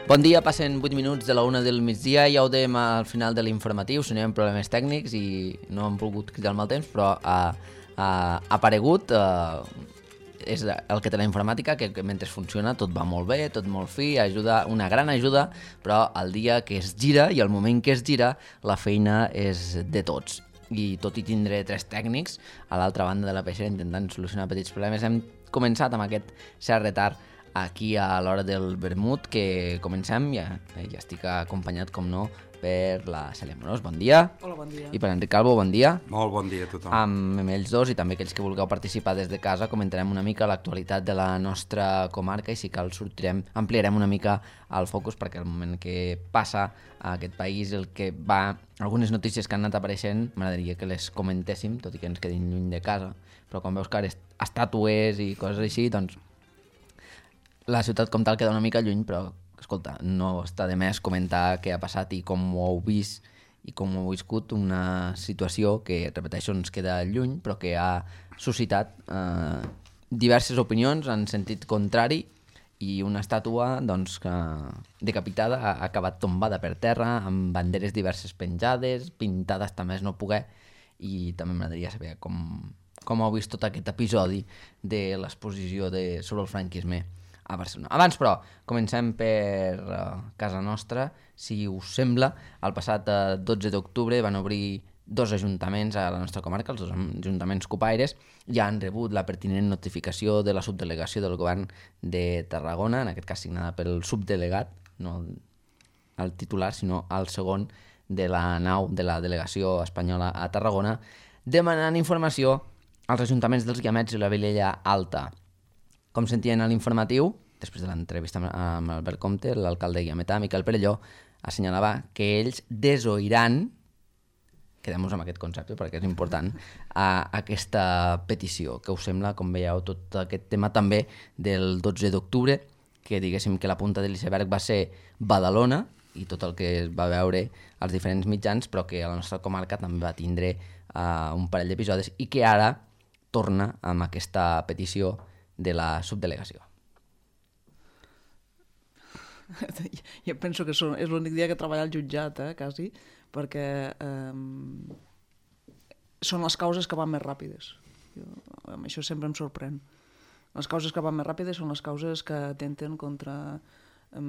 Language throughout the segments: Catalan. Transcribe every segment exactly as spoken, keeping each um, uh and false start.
Bon dia, passen vuit minuts de la una del migdia, ja ho dèiem al final de l'informatiu, si no hi ha problemes tècnics i no hem volgut cridar al mal temps, però ha, ha aparegut, eh, és el que té la informàtica, que, que mentre funciona tot va molt bé, tot molt fi, ajuda, una gran ajuda, però el dia que es gira i el moment que es gira, la feina és de tots. I tot i tindre tres tècnics, a l'altra banda de la peixera intentant solucionar petits problemes, hem començat amb aquest cert retard aquí a l'hora del vermut, que comencem, ja, ja estic acompanyat, com no, per la Cèlia Morós, bon dia. Hola, bon dia. I per Enric Calvo, bon dia. Molt bon dia a tothom. Amb ells dos i també aquells que vulgueu participar des de casa, comentarem una mica l'actualitat de la nostra comarca i si cal sortirem, ampliarem una mica el focus perquè el moment que passa a aquest país, el que va, algunes notícies que han anat apareixent, m'agradaria que les comentéssim, tot i que ens quedin lluny de casa, però quan veus que ara estàtues i coses així, doncs la ciutat com tal queda una mica lluny, però, escolta, no està de més comentar què ha passat i com ho heu vist i com ho heu viscut, una situació que, repeteixo, ens queda lluny, però que ha suscitat eh, diverses opinions en sentit contrari i una estàtua doncs, que, decapitada ha acabat tombada per terra, amb banderes diverses penjades, pintades també no poder, i també m'agradaria saber com, com heu vist tot aquest episodi de l'exposició de, sobre el franquisme a Barcelona. Abans, però, comencem per uh, casa nostra. Si us sembla, el passat uh, dotze d'octubre van obrir dos ajuntaments a la nostra comarca, els dos ajuntaments copaires, ja han rebut la pertinent notificació de la subdelegació del govern de Tarragona, en aquest cas signada pel subdelegat, no el titular, sinó el segon de la nau de la delegació espanyola a Tarragona, demanant informació als ajuntaments dels Guiamets i la Vilella Alta. Com sentien a l'informatiu, després de l'entrevista amb Albert Comte, l'alcalde guiametà, Miquel Perelló, assenyalava que ells desoiran, quedem-nos amb aquest concepte perquè és important, a aquesta petició. Què us sembla, com veieu, tot aquest tema també del dotze d'octubre, que diguéssim que la punta de l'iceberg va ser Badalona i tot el que es va veure als diferents mitjans, però que a la nostra comarca també va tindre uh, un parell d'episodis i que ara torna amb aquesta petició de la subdelegació. Jo penso que són, és l'únic dia que treballa al jutjat, eh, quasi, perquè eh, són les causes que van més ràpides. Jo, això sempre em sorprèn. Les causes que van més ràpides són les causes que atenten contra, eh,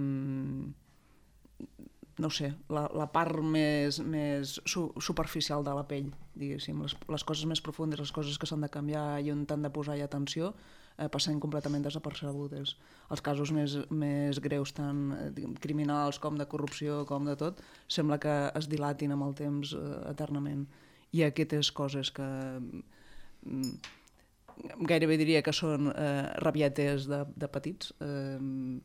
no sé, la, la part més, més su, superficial de la pell, diguéssim. Les, les coses més profundes, les coses que s'han de canviar i on t'han de posar atenció, eh, passen completament desapercebudes. Els casos més, més greus, tant eh, criminals com de corrupció, com de tot, sembla que es dilatin amb el temps eh, eternament. I aquestes coses que mm, gairebé diria que són eh, rabietes de, de petits, eh,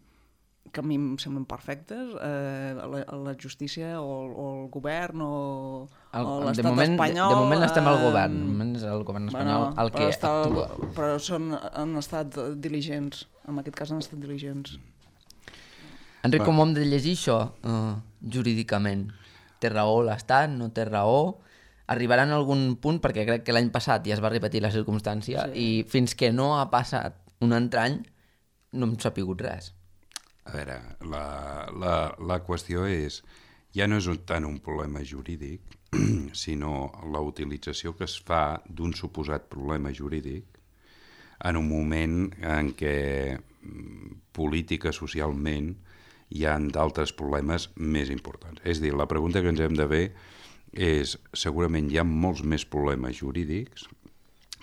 que a mi em semblen perfectes, eh, la, la justícia o, o el govern o, el, o l'estat moment, espanyol... De, de moment estem al govern, de moment és el govern espanyol bueno, el que està, actua. Però són, han estat diligents, en aquest cas han estat diligents. Enric, com hem de llegir això uh, jurídicament? Té raó l'Estat, no té raó? Arribaran a algun punt, perquè crec que l'any passat ja es va repetir la circumstància, sí. I fins que no ha passat un altre any no hem sapigut res. A veure, la, la, la qüestió és, ja no és tant un problema jurídic, sinó la utilització que es fa d'un suposat problema jurídic en un moment en què política, socialment, hi ha d'altres problemes més importants. És a dir, la pregunta que ens hem de fer és, segurament hi ha molts més problemes jurídics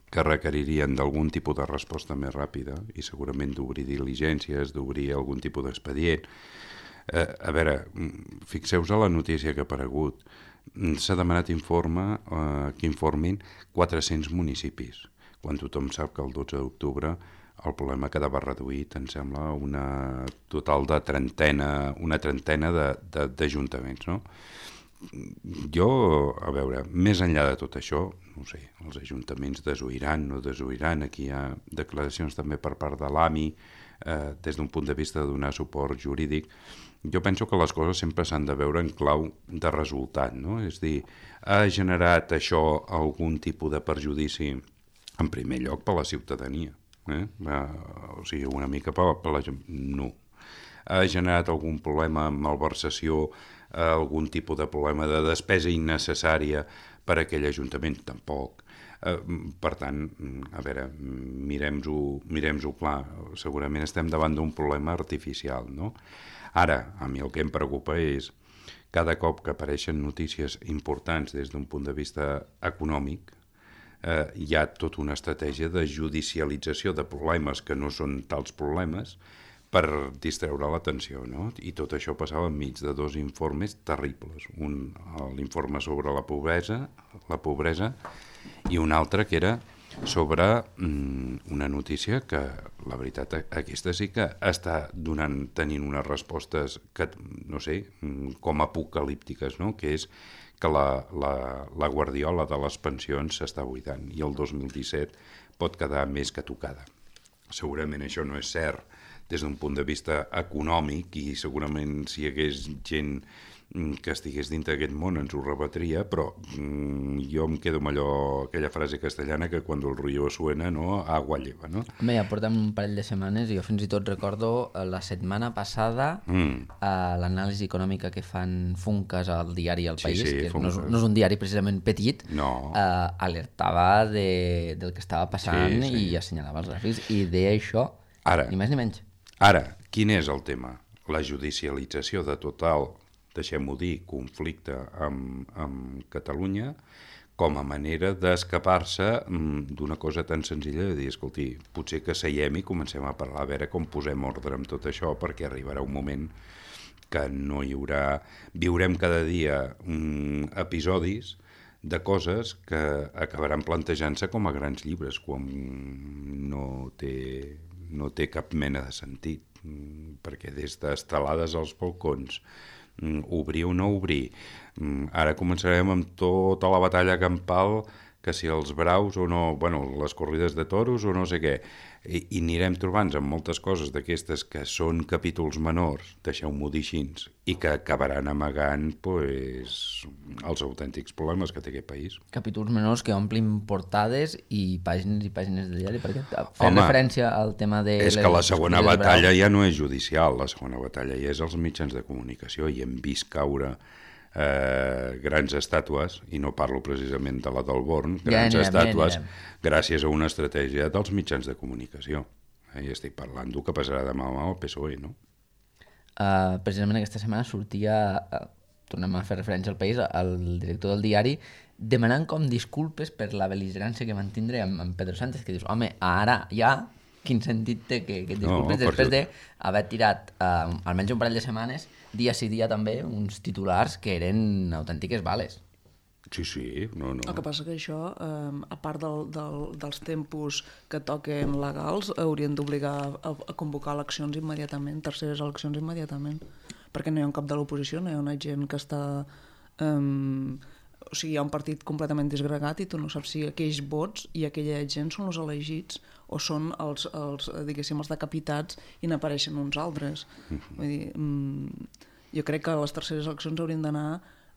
que requeririen d'algun tipus de resposta més ràpida i segurament d'obrir diligències, d'obrir algun tipus d'expedient. Eh, a veure, fixeu-vos a la notícia que ha aparegut. S'ha demanat informe, eh, que informin quatre-cents municipis, quan tothom sap que el dotze d'octubre el problema quedava reduït, em sembla, una total de trentena, una trentena d'ajuntaments, no? Jo, a veure, més enllà de tot això, no sé, els ajuntaments desoiran, no desoiran, aquí hi ha declaracions també per part de l'A M I, eh, des d'un punt de vista de donar suport jurídic. Jo penso que les coses sempre s'han de veure en clau de resultat, no? És dir, ha generat això algun tipus de perjudici, en primer lloc, per la ciutadania, eh? O sigui, una mica per, per la gent... No. ha generat algun problema amb malversació, algun tipus de problema de despesa innecessària per a aquell ajuntament? Tampoc. Per tant, a veure, mirem-ho mirem-ho clar, segurament estem davant d'un problema artificial, no? Ara, a mi el que em preocupa és cada cop que apareixen notícies importants des d'un punt de vista econòmic, eh, hi ha tota una estratègia de judicialització de problemes que no són tals problemes per distreure l'atenció, no? I tot això passava enmig de dos informes terribles. Un, l'informe sobre la pobresa, la pobresa, i un altre que era sobre mm, una notícia que, la veritat, aquesta sí que està donant, tenint unes respostes que, no sé, com apocalíptiques, no? Que és que la, la, la guardiola de les pensions s'està buidant i el dos mil disset pot quedar més que tocada. Segurament això no és cert des d'un punt de vista econòmic i segurament si hi hagués gent que estigués dintre d'aquest món ens ho rebatria, però mm, jo em quedo amb allò, aquella frase castellana que quan el río suena, no, agua lleva, no? Home, ja portem un parell de setmanes i jo fins i tot recordo la setmana passada mm. uh, l'anàlisi econòmica que fan Funcas al diari El País, sí, sí, que no és, no és un diari precisament petit, no. uh, alertava de, del que estava passant sí, sí. i assenyalava els gràfics i deia això, ara, ni més ni menys. Ara, quin és el tema? La judicialització de total, deixem-ho dir, conflicte amb, amb Catalunya com a manera d'escapar-se d'una cosa tan senzilla de dir, escolti, potser que seiem i comencem a parlar, a veure com posem ordre amb tot això, perquè arribarà un moment que no hi haurà... Viurem cada dia um, episodis de coses que acabaran plantejant-se com a grans llibres, quan no té, no té cap mena de sentit, perquè des d'estelades als balcons, obrir o no obrir. Ara començarem amb tota la batalla campal, que si els braus o no, bueno, les corrides de toros o no sé què, i, i anirem trobant amb moltes coses d'aquestes que són capítols menors, deixeu-m'ho dir així, i que acabaran amagant pues, els autèntics problemes que té aquest país. Capítols menors que omplin portades i pàgines i pàgines de diari, perquè fem referència al tema de... És que la segona batalla ja no és judicial, la segona batalla ja és als mitjans de comunicació, i hem vist caure Eh, grans estàtues, i no parlo precisament de la del Born, grans ja anirem, estàtues ja gràcies a una estratègia dels mitjans de comunicació. Eh, I estic parlant del que passarà demà amb el P S O E, no? Uh, precisament aquesta setmana sortia, uh, tornem a fer referència al País, el director del diari, demanant com disculpes per la bel·ligerància que van tindre amb, amb Pedro Sánchez, que dius, home, ara ja quin sentit té que, que et disculpes no, després perquè... d'haver tirat uh, almenys un parell de setmanes, dia sí dia també, uns titulars que eren autèntiques bales. Sí, sí, no, no. El que passa que això, eh, a part del, del, dels tempos que toquen legals, haurien d'obligar a, a convocar eleccions immediatament, terceres eleccions immediatament, perquè no hi ha un cap de l'oposició, no hi ha una gent que està... Eh, o sigui, hi ha un partit completament disgregat i tu no saps si aquells vots i aquella gent són els elegits o són els, els diguéssim, els decapitats i n'apareixen uns altres. Mm-hmm. Vull dir, mm, jo crec que les terceres eleccions haurien d'anar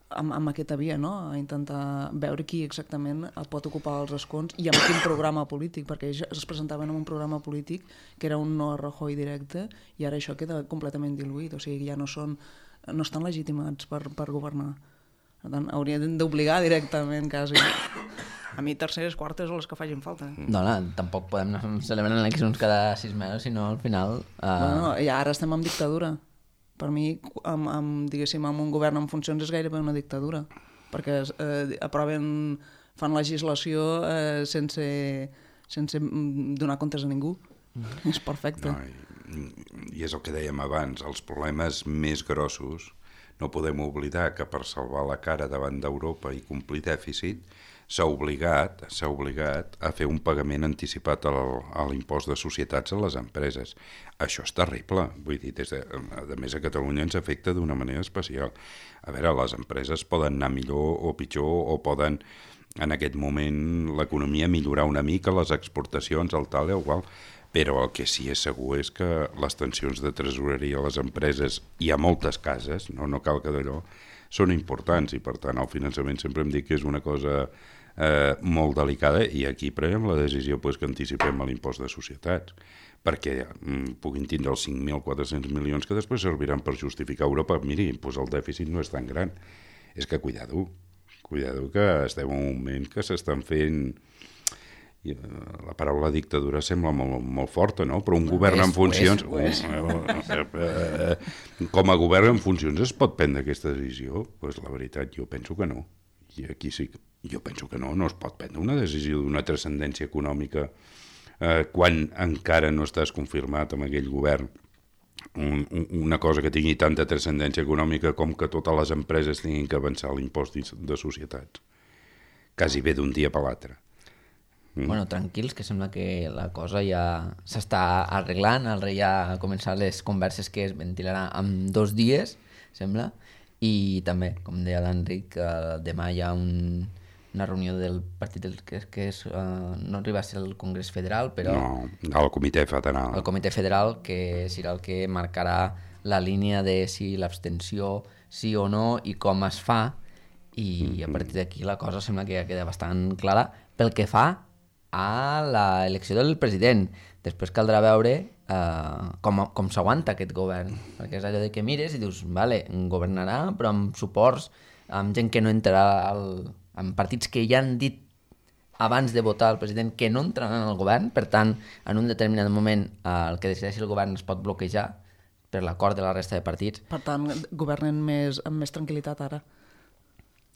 amb, amb aquesta via, no? A intentar veure qui exactament pot ocupar els escons i amb quin programa polític, perquè ells es presentaven en un programa polític que era un no a Rajoy directe i ara això queda completament diluït, o sigui, ja no són, no estan legitimats per, per governar. Per tant, haurien d'obligar directament, quasi. A mi terceres, quartes o les que facin falta. No, no, tampoc podem anar celebrant eleccions cada sis mesos, sinó al final... Uh... Bueno, i ara estem en dictadura. Per mi, amb, amb, diguéssim, amb un govern en funcions és gairebé una dictadura, perquè eh, aproven, fan legislació eh, sense, sense donar comptes a ningú. Mm. És perfecte. No, i, I és el que dèiem abans, els problemes més grossos. No podem oblidar que per salvar la cara davant d'Europa i complir dèficit s'ha obligat, s'ha obligat a fer un pagament anticipat a l'impost de societats a les empreses. Això és terrible. Vull dir, des de, a més a Catalunya ens afecta d'una manera especial. A veure, les empreses poden anar millor o pitjor o poden, en aquest moment, l'economia millorar una mica, les exportacions, el tal, igual, però el que sí és segur és que les tensions de tresoreria a les empreses, i a moltes cases, no, no cal que d'allò, són importants i per tant el finançament sempre em dic que és una cosa eh, molt delicada, i aquí prenem la decisió pues, que anticipem l'impost de societats, perquè mm, puguin tindre els cinc mil quatre-cents milions que després serviran per justificar Europa. Miri, pues el dèficit no és tan gran. És que cuidado, cuidado que estem en un moment que s'estan fent... La paraula dictadura sembla molt, molt forta, no? Però un govern en funcions... Com a govern en funcions es pot prendre aquesta decisió? Pues la veritat, jo penso que no. I aquí sí que... Jo penso que no, no es pot prendre una decisió d'una transcendència econòmica eh, quan encara no estàs confirmat amb aquell govern un, un, una cosa que tingui tanta transcendència econòmica com que totes les empreses tinguin que avançar l'impost de societats. Quasi bé d'un dia per l'altre. Mm. Bueno, tranquils, que sembla que la cosa ja s'està arreglant. El rei ja ha començat les converses que es ventilaran en dos dies, sembla, i també, com deia l'Enric, eh, demà hi ha un, una reunió del partit del, que, que és, eh, no arriba a ser el Congrés Federal, però... No, el Comitè Federal. El Comitè Federal, que serà el que marcarà la línia de si l'abstenció sí o no i com es fa, i mm-hmm. a partir d'aquí la cosa sembla que ja queda bastant clara pel que fa a l'elecció del president. Després caldrà veure eh, com, com s'aguanta aquest govern, perquè és allò de que mires i dius, vale, governarà, però amb suports, amb gent que no entrarà al, amb partits que ja han dit abans de votar el president que no entraran al govern, per tant, en un determinat moment eh, el que decideixi el govern es pot bloquejar per l'acord de la resta de partits. Per tant, governen més, amb més tranquil·litat ara.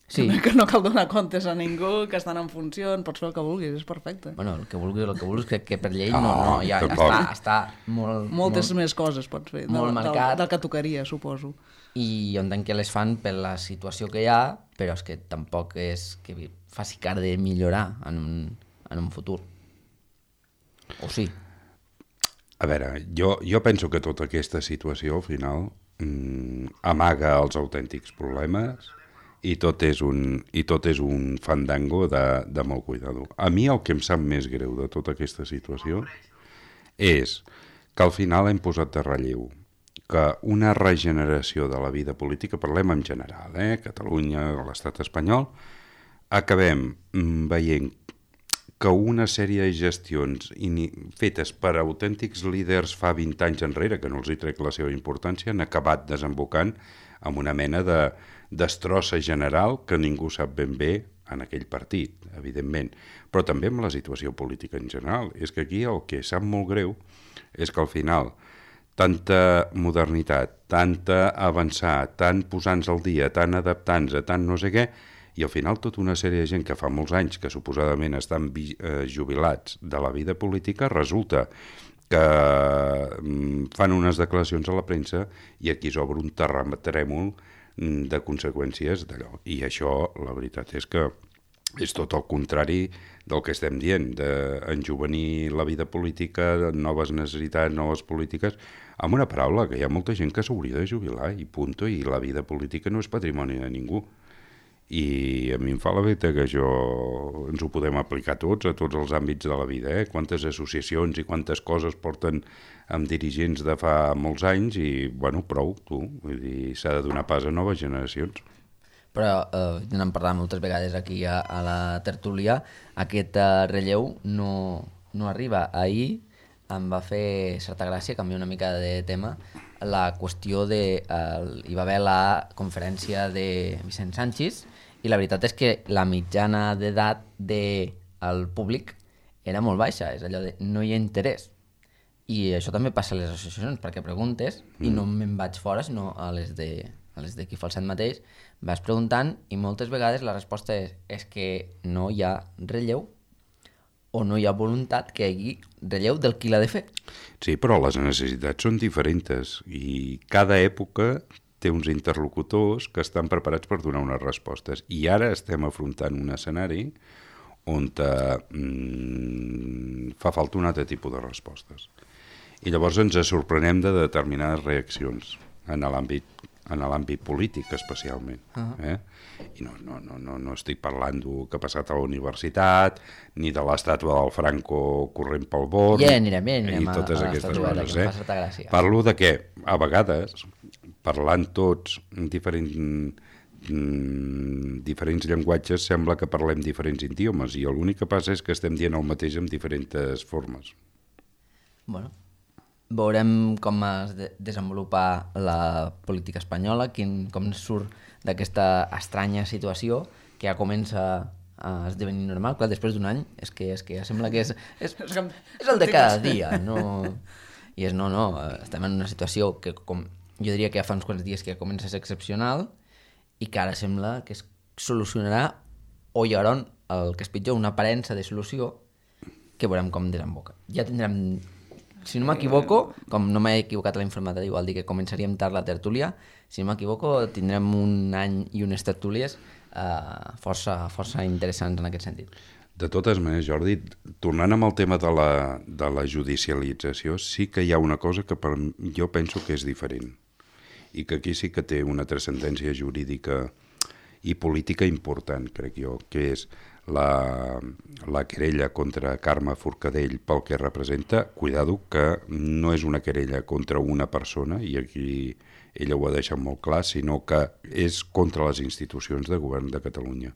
Sí. Que no cal donar comptes a ningú, que estan en funcions, pots fer el que vulguis, és perfecte. Bueno, el que vulguis, el que vulguis, crec que per llei no, no, ja, ja està, està molt... Moltes molt, més coses pots fer, molt del, marcat. Del, del que tocaria, suposo. I jo entenc que les fan per la situació que hi ha, però és que tampoc és que faci cara de millorar en un, en un futur. O sí? A veure, jo, jo penso que tota aquesta situació, al final, mmm, amaga els autèntics problemes i tot és un, i tot és un fandango de, de molt cuidado. A mi el que em sap més greu de tota aquesta situació és que al final hem posat de relleu que una regeneració de la vida política, parlem en general, eh, Catalunya, l'estat espanyol, acabem veient que una sèrie de gestions fetes per autèntics líders fa vint anys enrere, que no els hi trec la seva importància, han acabat desembocant amb una mena de destrossa general que ningú sap ben bé en aquell partit, evidentment, però també amb la situació política en general. És que aquí el que sap molt greu és que al final tanta modernitat, tanta avançar, tant posant-nos al dia, tant adaptant-nos, tant no sé què, i al final tota una sèrie de gent que fa molts anys que suposadament estan eh, jubilats de la vida política, resulta que mm, fan unes declaracions a la premsa i aquí s'obre un terratrèmol de conseqüències d'allò. I això, la veritat és que és tot el contrari del que estem dient, d'enjovenir la vida política, noves necessitats, noves polítiques, amb una paraula, que hi ha molta gent que s'hauria de jubilar i punt, i la vida política no és patrimoni de ningú. I a mi em fa la veta que això ens ho podem aplicar tots, a tots els àmbits de la vida, eh? Quantes associacions i quantes coses porten amb dirigents de fa molts anys i, bueno, prou, tu, vull dir, s'ha de donar pas a noves generacions. Però, eh, n'hem parlat moltes vegades aquí a, a la tertúlia, aquest eh, relleu no, no arriba. Ahir em va fer certa gràcia, canviar una mica de tema, la qüestió de... Eh, hi va haver la conferència de Vicent Sanchis i la veritat és que la mitjana d'edat del públic era molt baixa, és allò de no hi ha interès. I això també passa a les associacions, perquè preguntes, mm. i no me'n vaig fora, sinó a les de, a les de qui fa el set mateix, vas preguntant i moltes vegades la resposta és, és que no hi ha relleu o no hi ha voluntat que hi hagi relleu del qui l'ha de fer. Sí, però les necessitats són diferents i cada època té uns interlocutors que estan preparats per donar unes respostes. I ara estem afrontant un escenari on eh, mm, fa falta un altre tipus de respostes. I llavors ens sorprenem de determinades reaccions en l'àmbit en l'àmbit polític especialment. Uh-huh. eh? I no, no, no, no, no estic parlant del que ha passat a la universitat, ni de l'estàtua del Franco corrent pel Born, ja anirem, ja anirem i totes a, a aquestes coses. Eh? Gràcia. Parlo de que, a vegades, parlant tots diferent, mm, diferents llenguatges sembla que parlem diferents idiomes i l'únic que passa és que estem dient el mateix amb diferents formes. Bueno, veurem com es de desenvolupa la política espanyola, quin, com surt d'aquesta estranya situació que ja comença a esdevenir normal. Clar, després d'un any és que, és que ja sembla que és, és, és el de cada dia, no? I és no, no, estem en una situació que com, jo diria que ja fa uns quants dies que ja comença a ser excepcional i que ara sembla que es solucionarà o hi haurà el que és pitjor, una aparença de solució que veurem com desemboca. Ja tindrem, si no m'equivoco, com no m'he equivocat a la informativa, igual dir que començaríem tard la tertúlia, si no m'equivoco tindrem un any i unes tertúlies eh, força, força interessants en aquest sentit. De totes maneres, Jordi, tornant amb el tema de la, de la judicialització, sí que hi ha una cosa que per, jo penso que és diferent i que aquí sí que té una transcendència jurídica i política important, crec jo, que és la, la querella contra Carme Forcadell pel que representa. Cuidado, que no és una querella contra una persona, i aquí ella ho ha deixat molt clar, sinó que és contra les institucions de govern de Catalunya.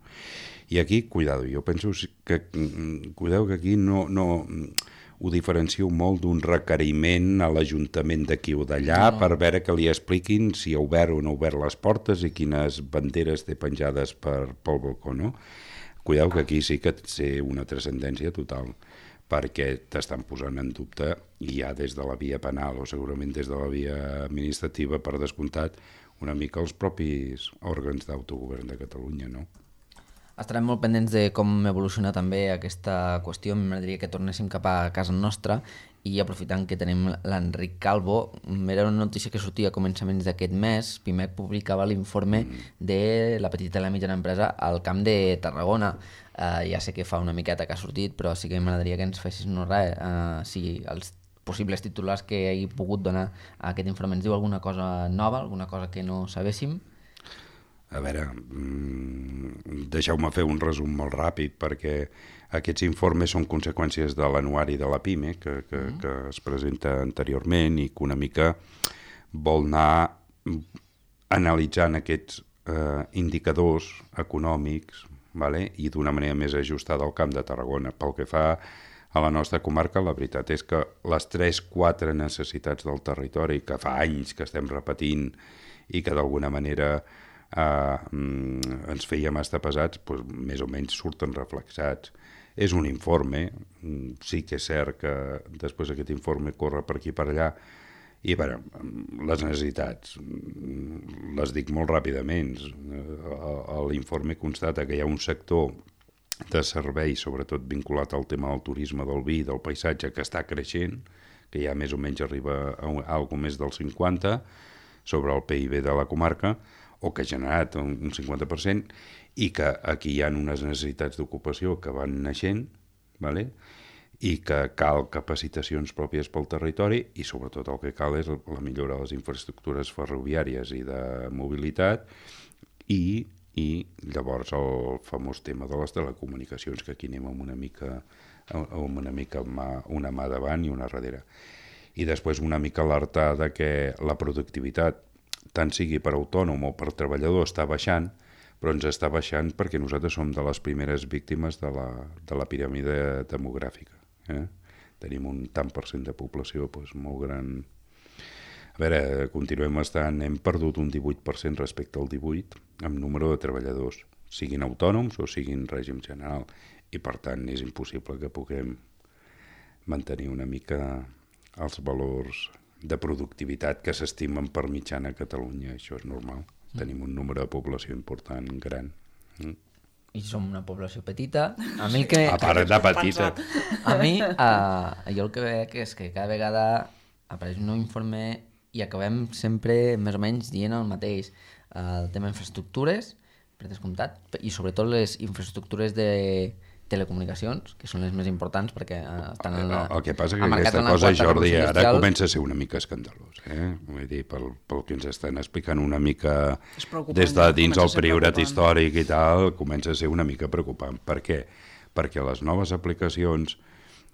I aquí, cuidado, jo penso que, cuidado que aquí no, no ho diferencio molt d'un requeriment a l'Ajuntament d'aquí o d'allà no. per veure que li expliquin si ha obert o no ha obert les portes i quines banderes té penjades per, pel balcó, no? Cuidado que aquí sí que té una transcendència total, perquè t'estan posant en dubte, i ja des de la via penal o segurament des de la via administrativa, per descomptat, una mica els propis òrgans d'autogovern de Catalunya, no? Estarem molt pendents de com evoluciona també aquesta qüestió. M'agradaria que tornéssim cap a casa nostra i aprofitant que tenim l'Enric Calvo, era una notícia que sortia a començaments d'aquest mes. Pimec publicava l'informe de la petita i la mitjana empresa al Camp de Tarragona. Uh, ja sé que fa una miqueta que ha sortit, però sí que m'agradaria que ens fessis no res, uh, si els possibles titulars que hagi pogut donar a aquest informe ens diu alguna cosa nova, alguna cosa que no sabéssim. A veure, deixeu-me fer un resum molt ràpid, perquè aquests informes són conseqüències de l'anuari de la PIME, que, que, mm. que es presenta anteriorment i que una mica vol anar analitzant aquests eh, indicadors econòmics, vale? I d'una manera més ajustada al Camp de Tarragona. Pel que fa a la nostra comarca, la veritat és que les tres quatre necessitats del territori, que fa anys que estem repetint i que d'alguna manera Uh, mm, ens fèiem estar pesats, doncs, més o menys surten reflexats. És un informe, sí que és cert que després aquest informe corre per aquí per allà, i bueno, les necessitats les dic molt ràpidament. L'informe constata que hi ha un sector de serveis, sobretot vinculat al tema del turisme, del vi, del paisatge, que està creixent, que ja més o menys arriba a algo més del cinquanta sobre el P I B de la comarca, o que ha generat un cinquanta per cent, i que aquí hi ha unes necessitats d'ocupació que van naixent, vale? I que cal capacitacions pròpies pel territori, i sobretot el que cal és la millora de les infraestructures ferroviàries i de mobilitat, i, i llavors el famós tema de les telecomunicacions, que aquí anem amb una mica, amb una mica mà, una mà davant i una darrere. I després una mica alertar de que la productivitat, tant sigui per autònom o per treballador, està baixant, però ens està baixant perquè nosaltres som de les primeres víctimes de la, de la piràmide demogràfica. Eh? Tenim un tant per cent de població doncs, molt gran. A veure, continuem estant, hem perdut un divuit per cent respecte al divuit amb número de treballadors, siguin autònoms o siguin règim general, i per tant és impossible que puguem mantenir una mica els valors de productivitat que s'estimen per mitjana a Catalunya. Això és normal. Mm. Tenim un número de població important, gran. Mm. I som una població petita. A mi que... A part de petita. A mi, uh, jo el que veig és que cada vegada apareix un nou informe i acabem sempre més o menys dient el mateix. Uh, el tema infraestructures, per descomptat, i sobretot les infraestructures de telecomunicacions, que són les més importants perquè estan en la... El que passa que aquesta cosa, Jordi, ara comença a ser una mica escandalós, eh? Vull dir, pel, pel que ens estan explicant una mica des de dins el priorat històric i tal, comença a ser una mica preocupant. Per què? Perquè les noves aplicacions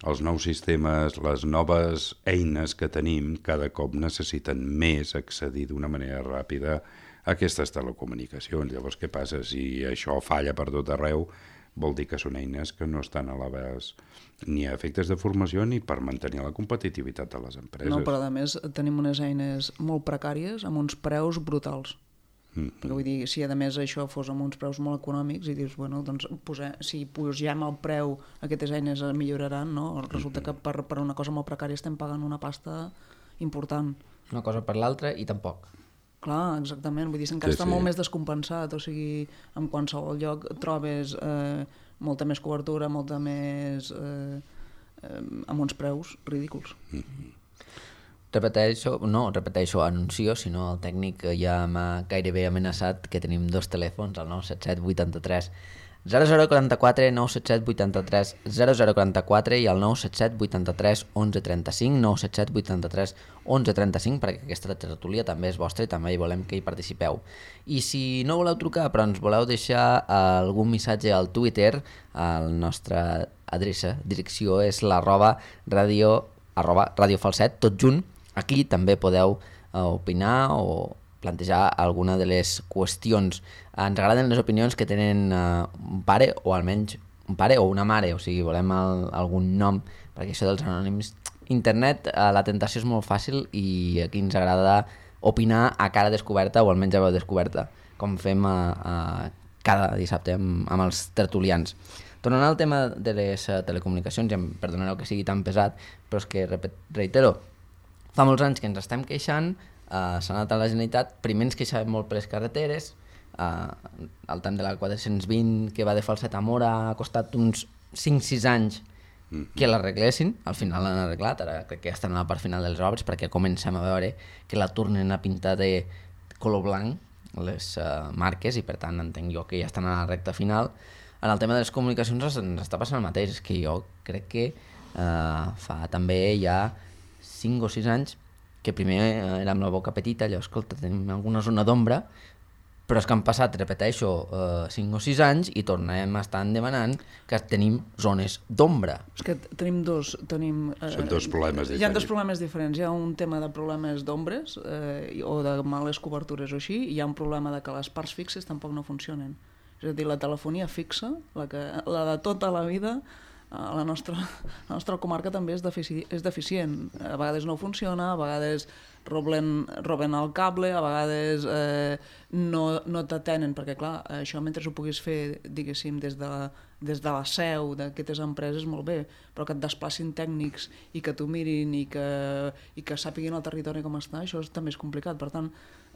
els nous sistemes, les noves eines que tenim, cada cop necessiten més accedir d'una manera ràpida a aquestes telecomunicacions. Llavors, què passa? Si això falla per tot arreu, vol dir que són eines que no estan a l'abast ni a efectes de formació ni per mantenir la competitivitat de les empreses. No, però a més tenim unes eines molt precàries amb uns preus brutals. Mm -hmm. Perquè vull dir, si a més això fos amb uns preus molt econòmics i dius, bueno, doncs posem, si posem el preu aquestes eines milloraran, no? Resulta que per, per una cosa molt precària estem pagant una pasta important. Una cosa per l'altra i tampoc. Clar, exactament, vull dir, encara sí, està sí. molt més descompensat, o sigui, en qualsevol lloc trobes eh, molta més cobertura, molta més... Eh, eh, amb uns preus ridículs. Mm-hmm. Repeteixo, no, repeteixo, anuncio, si no el tècnic ja m'ha gairebé amenaçat que tenim dos telèfons, el nou set set vuitanta-tres zero zero quaranta-quatre, nou set set vuitanta-tres zero zero quaranta-quatre i el nou set set vuitanta-tres onze trenta-cinc, nou set set vuitanta-tres onze trenta-cinc, perquè aquesta tertúlia també és vostra i també hi volem que hi participeu. I si no voleu trucar però ens voleu deixar algun missatge al Twitter, la nostra adreça, direcció és l'arroba radio, arroba radio falset, tot junt. Aquí també podeu uh, opinar o plantejar alguna de les qüestions. Ens agraden les opinions que tenen uh, un pare o almenys un pare o una mare, o sigui, volem el, algun nom, perquè això dels anònims... Internet, uh, la tentació és molt fàcil i aquí ens agrada opinar a cara descoberta o almenys a veu descoberta, com fem a, a cada dissabte amb, amb els tertulians. Tornant al tema de les uh, telecomunicacions, ja em perdonareu que sigui tan pesat, però és que, repet, reitero, fa molts anys que ens estem queixant, uh, s'ha anat a la Generalitat, primer ens queixàvem molt per les carreteres, uh, el tant de la quatre-cents vint que va de Falset a Mora ha costat uns cinc sis anys que l'arreglessin, al final l'han arreglat, ara crec que ja estan a la part final de les obres perquè comencem a veure que la tornen a pintar de color blanc les uh, marques i per tant entenc jo que ja estan a la recta final. En el tema de les comunicacions ens està passant el mateix, és que jo crec que uh, fa també ja cinc o sis anys que primer uh, era amb la boca petita, allò, escolta, tenim alguna zona d'ombra, però és que han passat, repeteixo, uh, cinc o sis anys i tornem a estar demanant que tenim zones d'ombra. És que tenim dos... Tenim, eh, Són dos problemes diferents. Hi ha dos problemes diferents. Hi ha un tema de problemes d'ombres eh, o de males cobertures o així, i hi ha un problema de que les parts fixes tampoc no funcionen. És a dir, la telefonia fixa, la, que, la de tota la vida, a la nostra, la nostra comarca també és, defici, és deficient. A vegades no funciona, a vegades roben, roben el cable, a vegades eh, no, no t'atenen, perquè clar, això mentre ho puguis fer, diguéssim, des de, des de la seu d'aquestes empreses, molt bé, però que et desplacin tècnics i que t'ho mirin i que, i que sàpiguin el territori com està, això és, també és complicat. Per tant,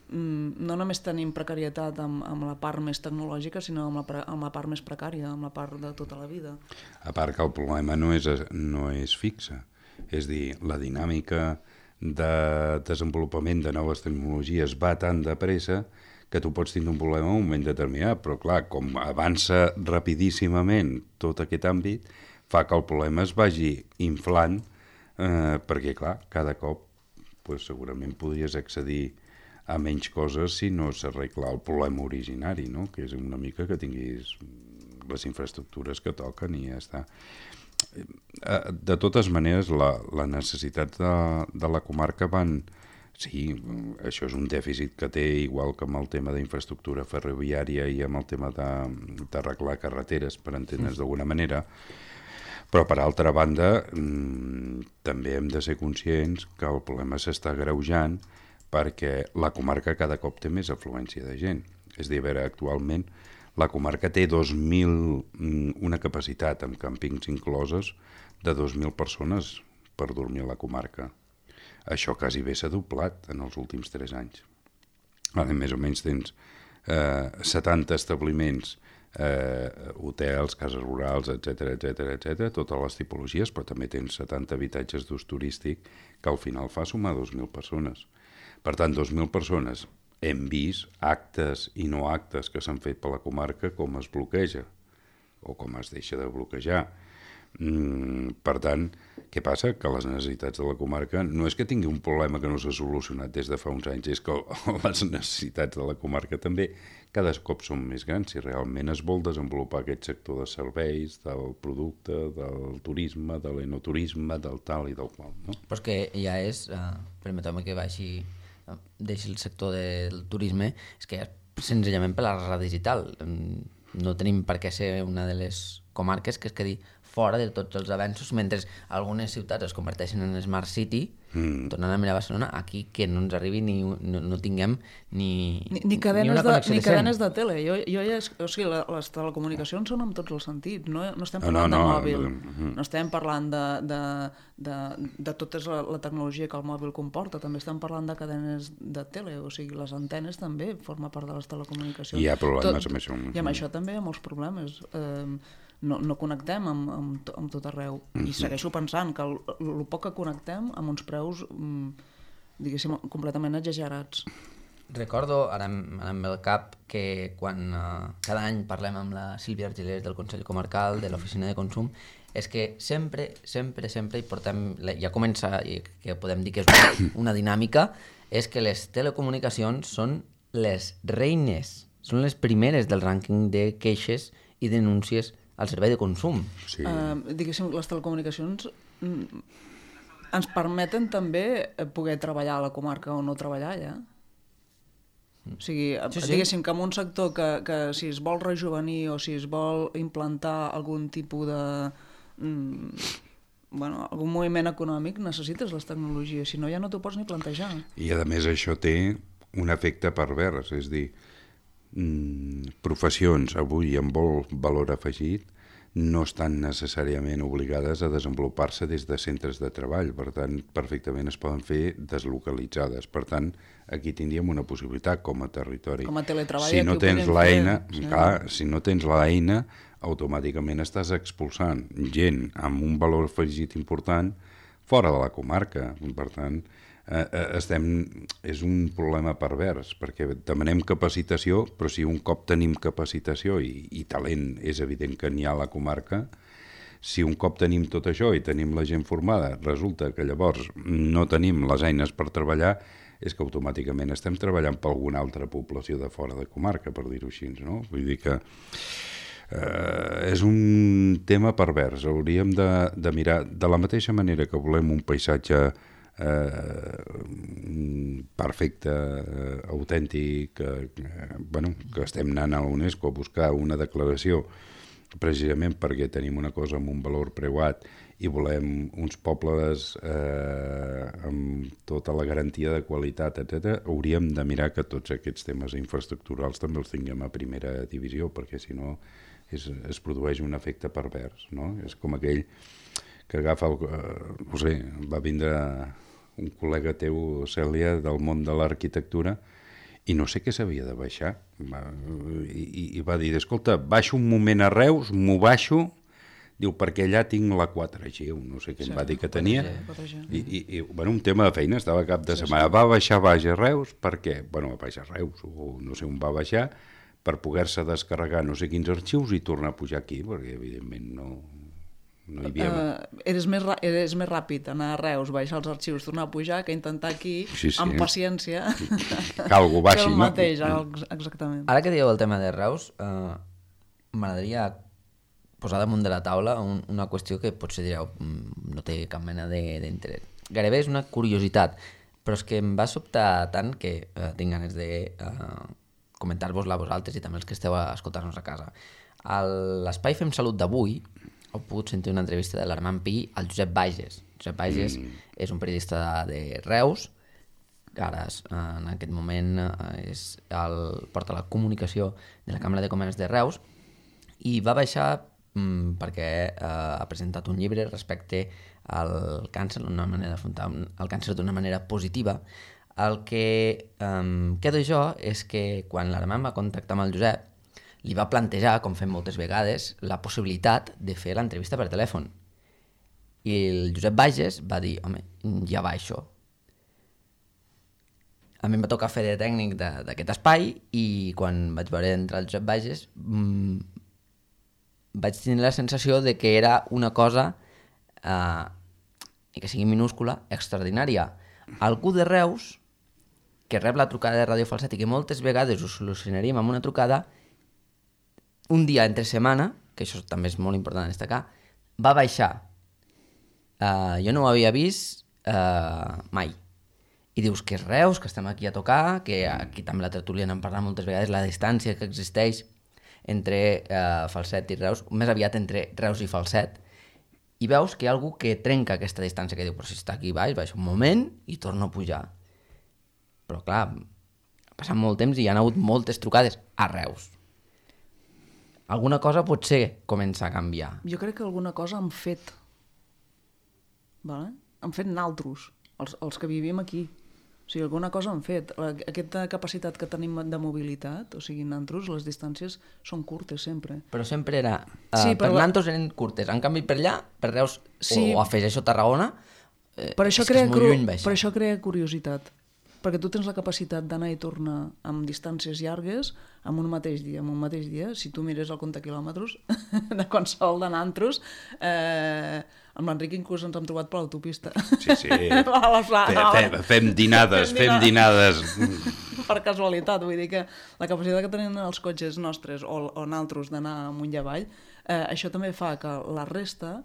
no només tenim precarietat amb, amb la part més tecnològica, sinó amb la, amb la part més precària, amb la part de tota la vida. A part que el problema no és, no és fixe, és dir, la dinàmica de desenvolupament de noves tecnologies va tan de pressa que tu pots tindre un problema en un moment determinat, però clar, com avança rapidíssimament tot aquest àmbit, fa que el problema es vagi inflant, eh, perquè clar, cada cop pues, segurament podries accedir a menys coses si no s'arregla el problema originari, no? Que és una mica que tinguis les infraestructures que toquen i ja està. De totes maneres, la, la necessitat de, de la comarca van... Sí, això és un dèficit que té, igual que amb el tema d'infraestructura ferroviària i amb el tema d'arreglar carreteres, per entendre's d'alguna manera, però per altra banda mmm, també hem de ser conscients que el problema s'està agreujant perquè la comarca cada cop té més afluència de gent. És a dir, a veure, actualment la comarca té dos mil, una capacitat amb càmpings incloses de dos mil persones per dormir a la comarca. Això quasi bé s'ha doblat en els últims tres anys. Ara, més o menys tens eh, setanta establiments, eh, hotels, cases rurals, etcètera, etcètera, etcètera, totes les tipologies, però també tens setanta habitatges d'ús turístic que al final fa sumar dos mil persones. Per tant, dos mil persones. Hem vist actes i no actes que s'han fet per la comarca com es bloqueja o com es deixa de bloquejar. Mm, per tant, què passa? Que les necessitats de la comarca no és que tingui un problema que no s'ha solucionat des de fa uns anys, és que les necessitats de la comarca també cada cop són més grans. Si realment es vol desenvolupar aquest sector de serveis, del producte, del turisme, de l'enoturisme, del tal i del qual. No? Però és que ja és, uh, permeteu-me que baixi, uh, deixi el sector del turisme, és que ja senzillament per la rara digital. No tenim per què ser una de les comarques que es quedi fora de tots els avenços, mentre algunes ciutats es converteixen en Smart City, mm. tornant a mirar Barcelona, aquí que no ens arribi ni, no, no tinguem ni, ni, ni, cadenes ni una de, connexió ni decent. cadenes de tele. Jo, jo ja, o sigui, la, les telecomunicacions són en tots els sentits, no, no estem parlant no, no, de mòbil, no, no estem parlant de, de, de, de tota la, la tecnologia que el mòbil comporta, també estem parlant de cadenes de tele, o sigui, les antenes també forma part de les telecomunicacions. Hi ha problemes Tot, amb això. I amb això també hi ha molts problemes. Eh, no, no connectem amb, amb, amb tot arreu. I segueixo pensant que el, el poc que connectem amb uns preus, diguéssim, completament exagerats. Recordo, ara em, ara em ve al cap, que quan uh, cada any parlem amb la Sílvia Argilés del Consell Comarcal, de l'Oficina de Consum, és que sempre, sempre, sempre hi portem, ja comença, que podem dir que és una, una dinàmica, és que les telecomunicacions són les reines, són les primeres del rànquing de queixes i denúncies al servei de consum. Sí. Uh, diguéssim, les telecomunicacions mm, ens permeten també poder treballar a la comarca o no treballar allà. O sigui, sí, sí. diguéssim que en un sector que, que si es vol rejuvenir o si es vol implantar algun tipus de... Mm, bueno, algun moviment econòmic, necessites les tecnologies, si no ja no t'ho pots ni plantejar. I a més això té un efecte pervers, és dir, mm, professions avui amb molt valor afegit no estan necessàriament obligades a desenvolupar-se des de centres de treball, per tant, perfectament es poden fer deslocalitzades. Per tant, aquí tindríem una possibilitat com a territori. Com a teletreball, si no aquí ho tens podem l'eina, fer, sí. clar, si no tens l'eina, automàticament estàs expulsant gent amb un valor afegit important fora de la comarca. Per tant, eh, estem, és un problema pervers, perquè demanem capacitació, però si un cop tenim capacitació i, i talent és evident que n'hi ha a la comarca, si un cop tenim tot això i tenim la gent formada, resulta que llavors no tenim les eines per treballar, és que automàticament estem treballant per alguna altra població de fora de comarca, per dir-ho així, no? Vull dir que eh, és un tema pervers. Hauríem de, de mirar, de la mateixa manera que volem un paisatge eh, perfecte, eh, autèntic, eh, bueno, que estem anant a la UNESCO a buscar una declaració precisament perquè tenim una cosa amb un valor preuat i volem uns pobles eh, amb tota la garantia de qualitat, etcètera, hauríem de mirar que tots aquests temes infraestructurals també els tinguem a primera divisió, perquè si no és, es produeix un efecte pervers, no? És com aquell que agafa, el, eh, no sé, va vindre un col·lega teu, Cèlia, del món de l'arquitectura, i no sé què s'havia de baixar. I, i, i va dir, escolta, baixo un moment a Reus, m'ho baixo, diu, perquè allà tinc la quatre G, no sé què sí, em va dir que tenia, i, i, i bueno, un tema de feina, estava cap de setmana, sí, sí. Va baixar baix a Reus, per què? Bueno, va baixar a Reus, o no sé on va baixar, per poder-se descarregar no sé quins arxius i tornar a pujar aquí, perquè evidentment no... No hi havia... uh, eres, més eres més ràpid anar a Reus, baixar els arxius, tornar a pujar, que intentar aquí, sí, sí. amb paciència, que algú baixi, el mateix, no? Exactament. Ara que dieu el tema de Reus, uh, m'agradaria posar damunt de la taula un, una qüestió que potser direu no té cap mena d'interès. Gairebé és una curiositat, però és que em va sobtar tant que uh, tinc ganes de uh, comentar-vos-la a vosaltres i també els que esteu a escoltar-nos a casa. A l'Espai Fem Salut d'avui heu pogut sentir una entrevista de l'Armand Pi al Josep Bages. Josep Bages mm. és un periodista de, de Reus, que ara en aquest moment és el, porta la comunicació de la Càmera de Comerç de Reus, i va baixar mm, perquè eh, ha presentat un llibre respecte al càncer, d'una manera d'afrontar el càncer d'una manera positiva. El que eh, quedo jo és que quan l'Armand va contactar amb el Josep, li va plantejar, com fem moltes vegades, la possibilitat de fer l'entrevista per telèfon. I el Josep Bages va dir, home, ja va això. A mi em va tocar fer de tècnic d'aquest espai i quan vaig veure entrar el Josep Bages mmm, vaig tenir la sensació de que era una cosa, eh, i que sigui minúscula, extraordinària. Algú de Reus, que rep la trucada de Ràdio Falset i que moltes vegades ho solucionaríem amb una trucada, un dia entre setmana, que això també és molt important destacar, va baixar. Uh, jo no ho havia vist uh, mai. I dius que és Reus, que estem aquí a tocar, que aquí també la tertúlia n'hem parlat moltes vegades, la distància que existeix entre uh, Falset i Reus, més aviat entre Reus i Falset, i veus que hi ha algú que trenca aquesta distància, que diu, però si està aquí baix, baixa un moment i torna a pujar. Però clar, ha passat molt temps i hi ha hagut moltes trucades a Reus. Alguna cosa potser comença a canviar. Jo crec que alguna cosa han fet. Vale? Han fet naltros, els, els que vivim aquí. O sigui, alguna cosa han fet. Aquesta capacitat que tenim de mobilitat, o sigui, naltros, les distàncies són curtes sempre. Però sempre era... Uh, Sí, per però la- naltros eren curtes. En canvi, per allà, per Reus, Sí. o, o afegeixo Tarragona, eh, Per això, és que crea és molt cru- lluny baixar. per això crea curiositat. Perquè tu tens la capacitat d'anar i tornar amb distàncies llargues en un mateix dia. En un mateix dia, si tu mires el compte quilòmetres de qualsevol de nantros, eh, amb l'Enric inclús ens hem trobat per l'autopista. Sí, sí. A la pla- Fe, a la- fe, fem dinades, Fem fem dinades. per casualitat, vull dir que la capacitat que tenen els cotxes nostres o, o naltros d'anar amunt i avall, eh, això també fa que la resta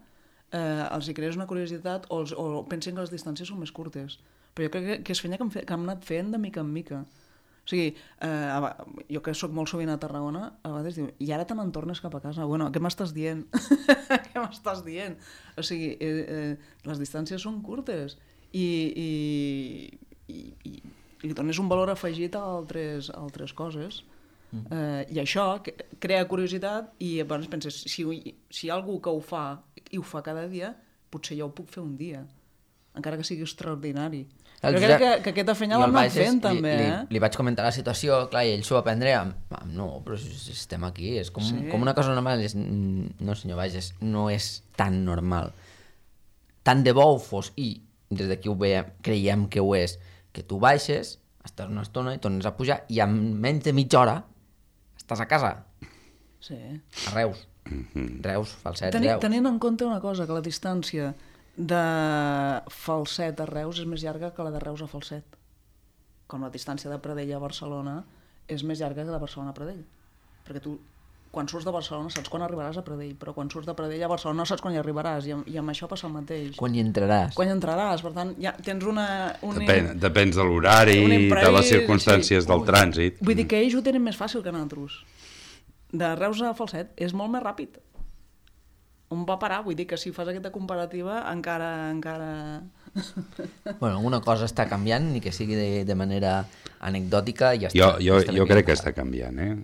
eh, els hi creés una curiositat o, els, o pensin que les distàncies són més curtes. Però jo crec que, que és feina que hem, fe, que hem anat fent de mica en mica. O sigui, eh, a va- jo que sóc molt sovint a Tarragona, a vegades diu, i ara te n'en tornes cap a casa. Bueno, què m'estàs dient? Què m'estàs dient? O sigui, eh, eh, les distàncies són curtes i, i, i, i, i li dones un valor afegit a altres, a altres coses. Mm. Eh, I això que- crea curiositat i llavors penses, si, si hi ha algú que ho fa i ho fa cada dia, potser jo ho puc fer un dia, encara que sigui extraordinari. Jo crec que, que aquesta feina Jo l'hem el anat Bages fent, li, també, li, eh? li vaig comentar la situació, clar, i ell s'ho va prendre amb, amb no, però si, si estem aquí, és com, Sí. com una cosa normal. És, no, senyor Bages, no és tan normal. Tant de bo ho fos, i des d'aquí ho veiem, creiem que ho és, que tu baixes, estàs una estona i tornes a pujar, i en menys de mitja hora estàs a casa, Sí. a Reus. Reus, Falset, Teni, Reus. tenint en compte una cosa, que la distància de Falset a Reus és més llarga que la de Reus a Falset. Com la distància de Pradell a Barcelona és més llarga que de Barcelona a Pradell. Perquè tu, quan surts de Barcelona, saps quan arribaràs a Pradell, però quan surts de Pradell a Barcelona no saps quan hi arribaràs, i amb, i amb això passa el mateix. Quan hi entraràs? Quan hi entraràs, per tant, ja tens una... Un, Depèn, depèn de l'horari, un de imprevist, les circumstàncies sí. del trànsit. Vull dir que ells ho tenen més fàcil que nosaltres. De Reus a Falset és molt més ràpid. On va parar? Vull dir que si fas aquesta comparativa encara... encara... Bueno, alguna cosa està canviant, ni que sigui de, de manera anecdòtica, i ja està. Jo, jo, Estem jo aquí. crec que està canviant, eh?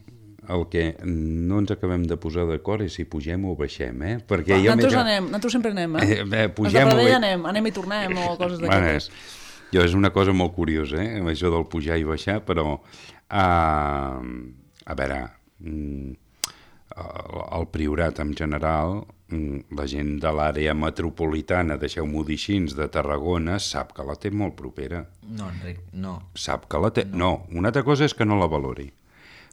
El que no ens acabem de posar d'acord és si pugem o baixem, eh? Perquè Va, jo nosaltres, m'he- anem, nosaltres sempre anem, eh? Eh, bé, Els pugem de o Pradell bé- anem, anem i tornem, o coses Bueno, d'aquestes. és, jo, és una cosa molt curiosa, eh? Això del pujar i baixar, però... Uh, a veure... Mm, el, el Priorat en general, mm, la gent de l'àrea metropolitana, deixeu-m'ho dir així, de Tarragona, sap que la té molt propera. No, Enric, no. Sap que la té... No. no, una altra cosa és que no la valori.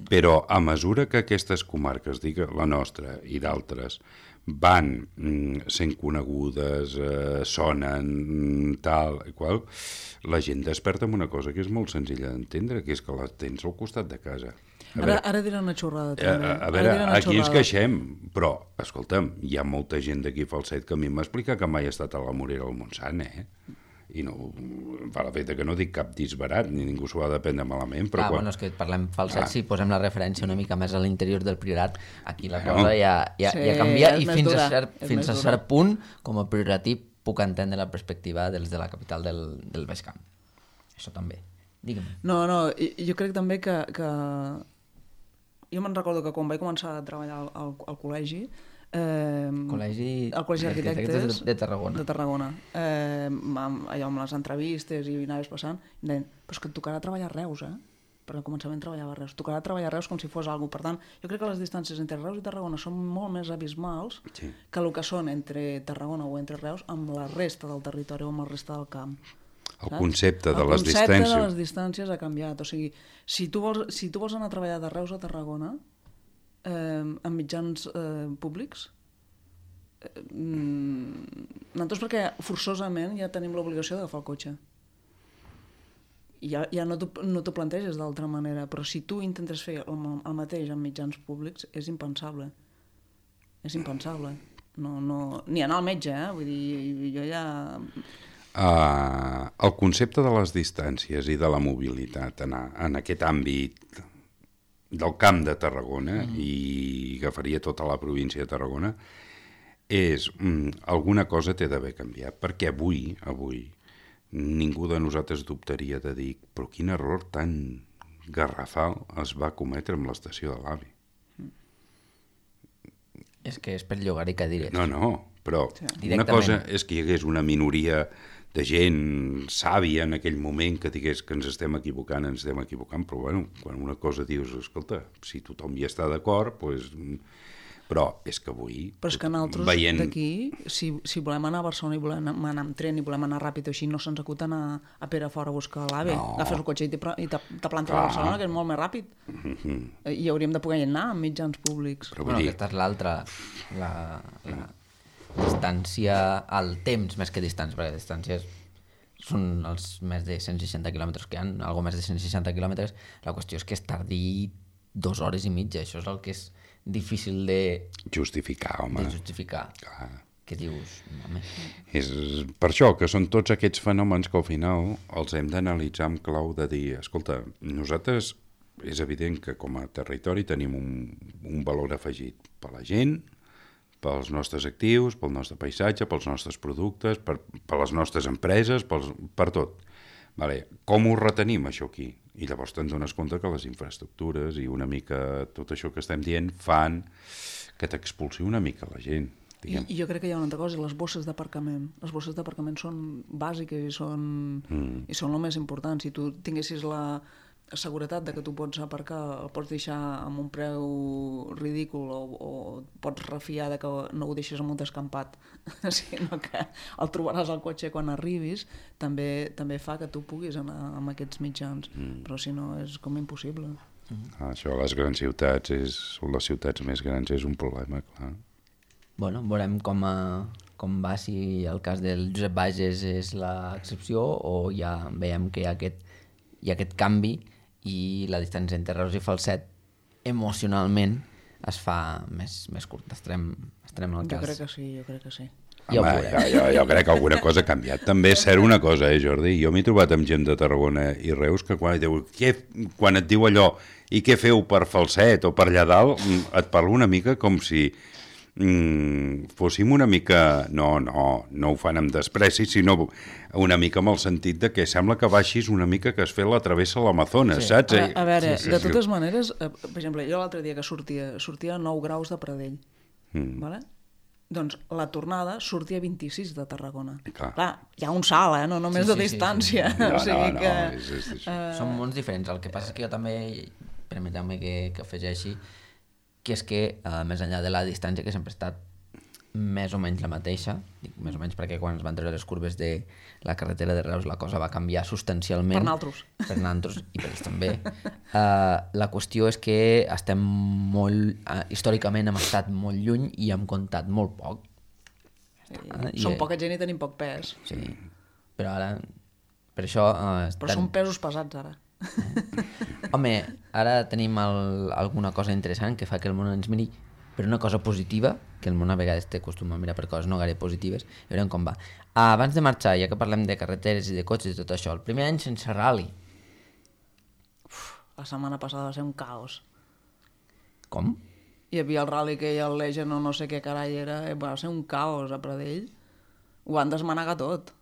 Però a mesura que aquestes comarques, dic la nostra i d'altres, van mm, sent conegudes, eh, sonen, mm, tal i qual, la gent desperta amb una cosa que és molt senzilla d'entendre, que és que la tens al costat de casa. A Ara, veure, ara diré una xorrada, a, també. a, a Ara veure, diré una aquí ens xorrada. queixem, però, escolta'm, hi ha molta gent d'aquí a Falset que a mi m'explica que mai ha estat a la Morera del Montsant, eh? I no, fa la feta que no dic cap disbarat, ni ningú s'ho ha de prendre malament, però Clar, quan... bueno, és que parlem Falset, Ah. si posem la referència una mica més a l'interior del Priorat, aquí la Bueno. cosa ja, ja, Sí, ja canvia, és i més fins dura, a cert, és fins més a dura. cert punt, com a prioratí, puc entendre la perspectiva dels de la capital del, del Baix Camp. Això també. Digue'm. No, no, i- jo crec també que... que... Jo me'n recordo que quan vaig començar a treballar al, al, al col·legi, eh, Col·legi el Col·legi d'Arquitectes d'Arquitectes de, de Tarragona. de Tarragona. Eh, amb, allò amb les entrevistes i anaves passant, em deien, però és que et tocarà treballar a Reus, eh? Perquè al començament treballava a Reus. Tocarà treballar a Reus com si fos alguna cosa. Per tant, jo crec que les distàncies entre Reus i Tarragona són molt més abismals Sí. que el que són entre Tarragona o entre Reus amb la resta del territori o amb la resta del camp. El saps? concepte de el les concepte distàncies. de les distàncies ha canviat. O sigui, si tu vols, si tu vols anar a treballar de Reus a Tarragona, eh, en mitjans eh, públics? Eh, nosaltres perquè forçosament ja tenim l'obligació d'agafar el cotxe. Ja, ja no t'ho no t'ho planteges d'altra manera, però si tu intentes fer el, el mateix en mitjans públics, és impensable. És impensable. No, no, ni anar al metge, eh? Vull dir, jo ja... Uh, el concepte de les distàncies i de la mobilitat en, en aquest àmbit del Camp de Tarragona, mm. i agafaria tota la província de Tarragona, és mm, alguna cosa té d'haver canviat, perquè avui, avui, ningú de nosaltres dubtaria de dir però quin error tan garrafal es va cometre amb l'estació de l'AVI. És que és per llogar-hi cadires. No, no, però sí. Una cosa és que hi hagués una minoria de gent sàvia en aquell moment que digués que ens estem equivocant, ens estem equivocant, però bueno, quan una cosa dius, escolta, si tothom hi està d'acord, doncs... Però és que avui... Però és que nosaltres veient... d'aquí, si, si volem anar a Barcelona i volem anar amb tren i volem anar ràpid o així, no se'ns acuta anar a Perafort a buscar l'AVE. No. Agafes el cotxe i te, i te, te plantes a Barcelona, que és molt més ràpid. Mm-hmm. I hauríem de poder anar amb mitjans públics. Però bueno, dir... aquesta és l'altra, la, la distància al temps, més que distància, perquè distàncies són els més de cent seixanta quilòmetres que hi ha, algo més de cent seixanta quilòmetres. La qüestió és que és tardí dues hores i mitja, això és el que és difícil de... Justificar, home. De justificar. Clar. Què dius? Home. És per això que són tots aquests fenòmens que al final els hem d'analitzar amb clau de dir, escolta, nosaltres és evident que com a territori tenim un, un valor afegit per la gent, pels nostres actius, pel nostre paisatge, pels nostres productes, per, per les nostres empreses, pels, per tot. Vale. Com ho retenim, això aquí? I llavors te'n dones compte que les infraestructures i una mica tot això que estem dient fan que t'expulsi una mica la gent. I, I jo crec que hi ha una altra cosa, les bosses d'aparcament. Les bosses d'aparcament són bàsiques i són, mm. i són el més important. Si tu tinguessis la seguretat de que tu pots aparcar, el pots deixar amb un preu ridícul o, o pots refiar de que no ho deixes en un descampat, sinó que el trobaràs al cotxe quan arribis, també, també fa que tu puguis anar amb aquests mitjans, mm. però si no és com impossible. Mm. Això a les grans ciutats, és, les ciutats més grans és un problema, clar. Bueno, veurem com, a, com va, si el cas del Josep Bages és l'excepció o ja veiem que hi ha aquest, hi ha aquest canvi i la distància entre Reus i Falset emocionalment es fa més, més curta. Estarem, estarem al cas. Jo crec que sí, jo crec que sí. Ja Home, jo, jo, jo crec que alguna cosa ha canviat. També és cert una cosa, eh, Jordi? Jo m'he trobat amb gent de Tarragona i Reus que quan, diu, què, quan et diu allò i què feu per Falset o per allà dalt, et parla una mica com si mm, fóssim una mica... No, no, no ho fan amb despreci, sinó una mica amb el sentit de que sembla que baixis una mica que es fet la travessa a l'Amazones, sí. Saps? A, a veure, sí, sí, de totes sí. maneres, eh, per exemple, jo l'altre dia que sortia, sortia a nou graus de Pradell, mm. vale? Doncs la tornada sortia a vint-i-sis de Tarragona. Clar, Clar hi ha un salt, eh? No només sí, sí, de distància. Sí, sí. No, o sigui no, que, no, és, és, és... Uh... Són mons diferents. El que passa és que jo també, permeteu-me que, que afegeixi, que és que, uh, més enllà de la distància, que sempre ha estat més o menys la mateixa, dic més o menys perquè quan es van treure les curves de la carretera de Reus la cosa va canviar substancialment. Per nosaltres. Per nosaltres i per ells també. Uh, la qüestió és que estem molt, uh, històricament hem estat molt lluny i hem comptat molt poc. Sí, uh, som i, poca gent i tenim poc pes. Sí, però ara, per això... Uh, però tan... són pesos pesats ara. Home, ara tenim el, alguna cosa interessant que fa que el món ens miri per una cosa positiva, que el món a vegades té costum a mirar per coses no gaire positives, i veurem com va. Ah, abans de marxar, ja que parlem de carreteres i de cotxes i tot això, el primer any sense rally. Uf, la setmana passada va ser un caos. Com? Hi havia el rally que hi ha el Legend o no sé què carai era, va ser un caos a Pradell. Ho van desmanegar tot.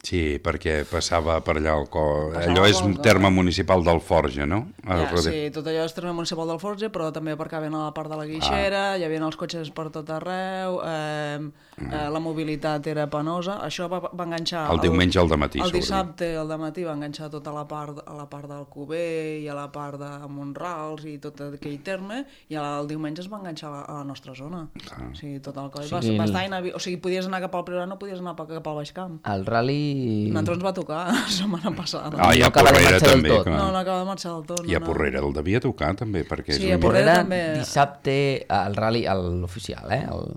Sí, perquè passava per allà el co... Passava allò és un terme municipal d'Alforja, no? Ja, sí, tot allò és terme municipal d'Alforja, però també aparcaven a la part de la Guixera, ah. hi havia els cotxes per tot arreu, eh, mm. eh, la mobilitat era penosa. Això va, va enganxar... El diumenge al dematí, El dissabte al dematí va enganxar tota la part, a la part d'Alcover i a la part de Montrals i tot aquell terme, i el diumenge es va enganxar a la, a la nostra zona. Ah. O sigui, tot el coll. Sí, va, va estar inavi... O sigui, podies anar cap al Priorat, no podies anar cap al Baix Camp. El rally i... Nosaltres ens va tocar la setmana passada. Ah, i No a acaba de Porrera marxar del també, tot. clar. No, no acaba de marxar del tot. No, I a no. Porrera el devia tocar també, perquè Sí, és a un... Porrera Porrera, també- dissabte, el rally, el- l'oficial, eh? El,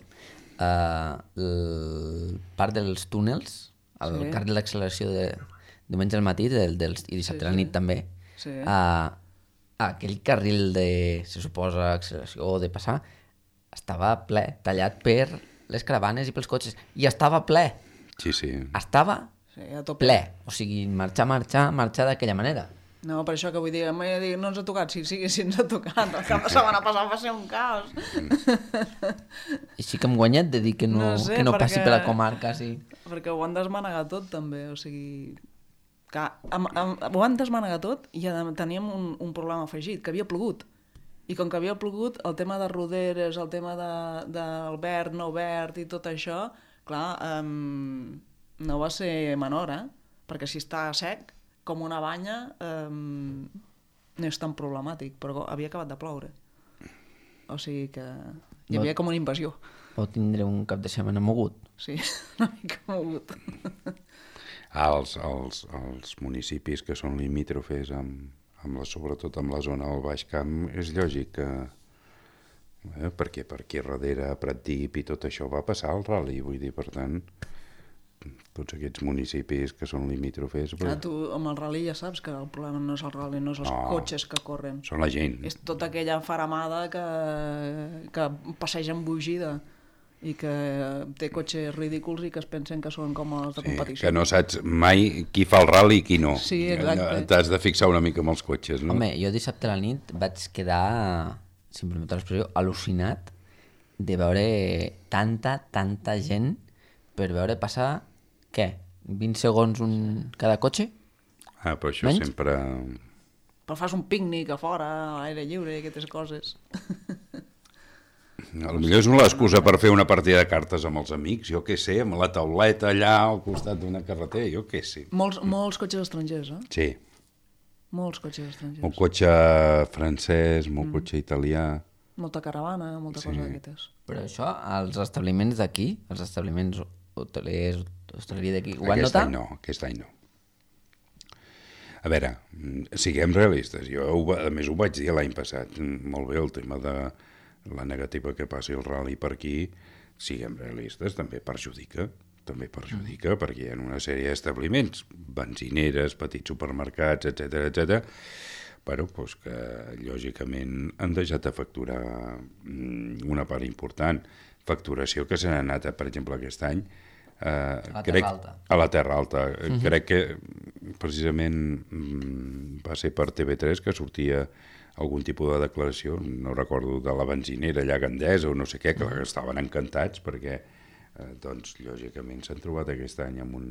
uh, el part dels túnels, el Sí. carril d'acceleració de diumenge al matí del, dels, i dissabte Sí, a la sí. nit també, Sí. uh, aquell carril de, se suposa, acceleració o de passar, estava ple, tallat per les caravanes i pels cotxes. I estava ple, Sí, sí. estava Sí, a tope. ple. O sigui, marxar, marxar, marxar d'aquella manera. No, per això que vull dir, em vaig dir, no ens ha tocat, sí, sí, sí ens ha tocat. El cap de setmana passat va ser un caos. I sí que hem guanyat de dir que no, No sé, que no passi perquè- per la comarca, sí. Perquè ho han desmanegat tot, també, o sigui... Que, am, am, ho han desmanegat tot i a- teníem un, un problema afegit, que havia plogut. I com que havia plogut, el tema de roderes, el tema de, del verd, no verd i tot això, clar, um, no va ser menor, eh? Perquè si està sec, com una banya, um, no és tan problemàtic, però havia acabat de ploure. O sigui que hi havia com una invasió. O tindré un cap de setmana mogut. Sí, una mica mogut. Ah, els, els, els municipis que són limítrofes, amb, amb la, sobretot amb la zona del Baix Camp, és lògic que... Eh, perquè per aquí darrere, a Pratdip i tot això va passar el rally, vull dir, per tant, tots aquests municipis que són limítrofes... Clar, tu amb el rally ja saps que el problema no és el rally, no és els No. cotxes que corren. Són la gent. És tota aquella faramada que, que passeja embogida i que té cotxes ridículs i que es pensen que són com els de Sí, competició. que no saps mai qui fa el rally i qui no. Sí, exacte. T'has de fixar una mica amb els cotxes, no? Home, jo dissabte a la nit vaig quedar, si em permeteu l'expressió, al·lucinat de veure tanta, tanta gent per veure passar, què? vint segons un... cada cotxe? Ah, però això Menys? sempre... Però fas un pícnic a fora, a l'aire lliure i aquestes coses. A lo millor és una excusa per fer una partida de cartes amb els amics, jo què sé, amb la tauleta allà al costat d'una carretera, jo què sé. Molts, molts cotxes estrangers, eh? Sí, Molts cotxes estrangers. molt cotxe francès, molt cotxe italià... Molta caravana, molta cosa d'aquestes. Però això, als establiments d'aquí, els establiments hotelers, hostaleria d'aquí, ho van Aquest notar? any no, aquest any no. A veure, siguem realistes. Jo, ho, va- a més, ho vaig dir l'any passat. Molt bé, el tema de la negativa que passi el rally per aquí, siguem realistes, també perjudica. També perjudica, perquè hi ha una sèrie d'establiments, benzineres, petits supermercats, etcètera, etcètera, però doncs que lògicament han deixat de facturar mm, una part important. Facturació que se n'ha anat, per exemple, aquest any, eh, la crec, Terra Alta. a la Terra Alta. Uh-huh. Crec que precisament mm, va ser per T V tres que sortia algun tipus de declaració, no recordo, de la benzinera allà a Gandesa o no sé què, que uh-huh. estaven encantats perquè, eh, doncs, lògicament s'han trobat aquest any amb un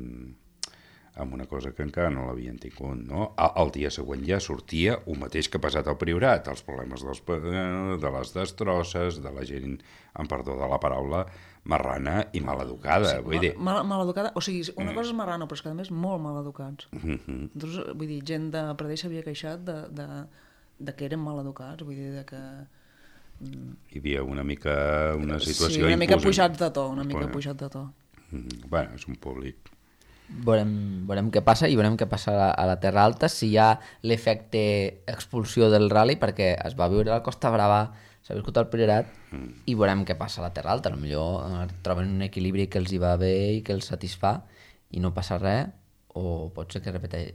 amb una cosa que encara no l'havien tingut, no? El dia següent ja sortia el mateix que ha passat al Priorat, els problemes dels, de les destrosses, de la gent, en perdó de la paraula, marrana i maleducada, sí, vull dir... Mal, maleducada, o sigui, una cosa és marrano, però és que a més molt maleducats. Mm-hmm. Doncs, vull dir, gent de Pradell s'havia queixat de, de, de que eren maleducats, vull dir, de que... Hi havia una mica una situació... Sí, una mica imposant. pujats de to, una mica Bueno. pujat de to. Mm, Bueno, és un públic. Veurem, veurem què passa i veurem què passa a la, a la Terra Alta, si hi ha l'efecte expulsió del rally, perquè es va viure a la Costa Brava, s'ha viscut al Priorat, mm. i veurem què passa a la Terra Alta. Potser eh, troben un equilibri que els hi va bé i que els satisfà i no passa res, o pot ser que repeteix,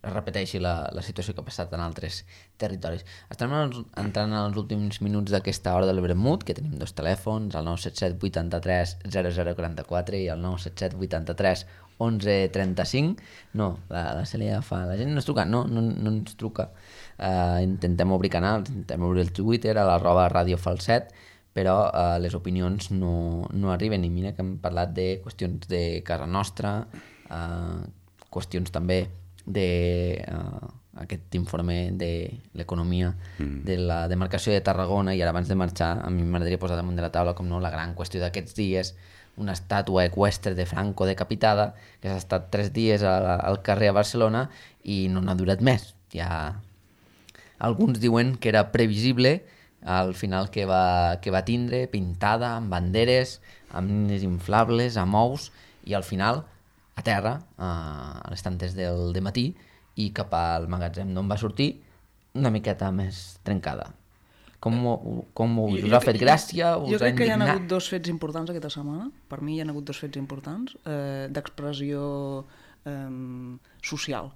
es repeteixi la, la situació que ha passat en altres territoris. Estem entrant en els últims minuts d'aquesta hora del Vermut, que tenim dos telèfons, el nou set set vuitanta-tres zero zero quaranta-quatre i el nou set set vuitanta-tres onze trenta-cinc. No, la, la Cèlia fa... La gent no ens truca, no, no, no ens truca. Uh, intentem obrir canals, intentem obrir el Twitter, a l'arroba Ràdio Falset, però uh, les opinions no, no arriben. I mira que hem parlat de qüestions de casa nostra, uh, qüestions també de uh, aquest informe de l'economia mm. de la demarcació de Tarragona, i ara abans de marxar a mi m'agradaria posar damunt de la taula com no la gran qüestió d'aquests dies, una estàtua eqüestre de Franco decapitada que s'ha estat tres dies al, al carrer a Barcelona i no n'ha durat més. Ja... Alguns diuen que era previsible al final que va, que va tindre, pintada, amb banderes, amb nines inflables, amb ous, i al final a terra, a les tantes del dematí, i cap al magatzem d'on va sortir una miqueta més trencada. Com, com us, us ha fet gràcia? Us jo crec que hi ha indignat? hagut dos fets importants aquesta setmana. Per mi hi ha hagut dos fets importants eh, d'expressió eh, social.